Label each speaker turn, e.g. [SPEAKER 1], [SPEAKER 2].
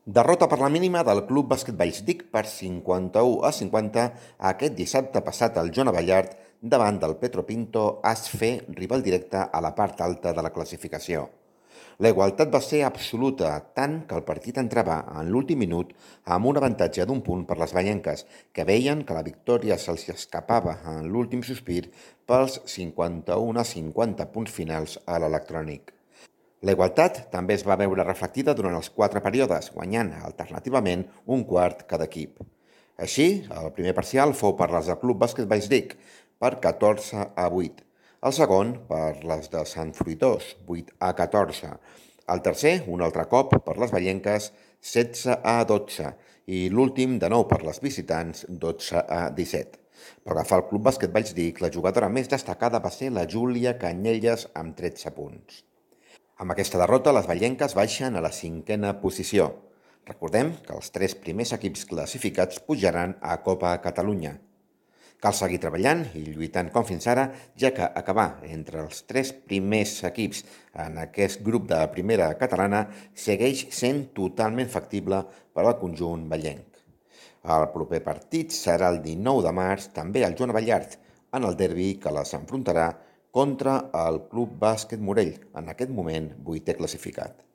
[SPEAKER 1] Derrota per la mínima del Club Bàsquet Vallsdic per 51-50 aquest dissabte passat al Joan Abellard davant del Petro Pinto Asfe, rival directe a la part alta de la classificació. La igualtat va ser absoluta, tant que el partit entrava en l'últim minut amb un avantatge d'un punt per les vallenques, que veien que la victòria se'ls escapava en l'últim sospir pels 51-50 punts finals a l'electrònic. La igualtat també es va veure reflectida durant els 4 períodes, guanyant alternativament un quart cada equip. Així, el primer parcial fou per les del Club Bàsquet Vallsdic, per 14-8. El segon, per les de Sant Fruitós, 8-14. El tercer, un altre cop, per les vallenques, 16-12. I l'últim, de nou per les visitants, 12-17. Per agafar el Club Bàsquet Vallsdic, la jugadora més destacada va ser la Júlia Canyelles amb 13 punts. Amb aquesta derrota, les vallenques baixen a la 5a posició. Recordem que els 3 primers equips classificats pujaran a Copa Catalunya. Cal seguir treballant i lluitant com fins ara, ja que acabar entre els 3 primers equips en aquest grup de primera catalana segueix sent totalment factible per al conjunt vallenc. El proper partit serà el 19 de març, també al Joan Abellard, en el derbi que les enfrontarà contra el Club Bàsquet Morell, en aquest moment 8è classificat.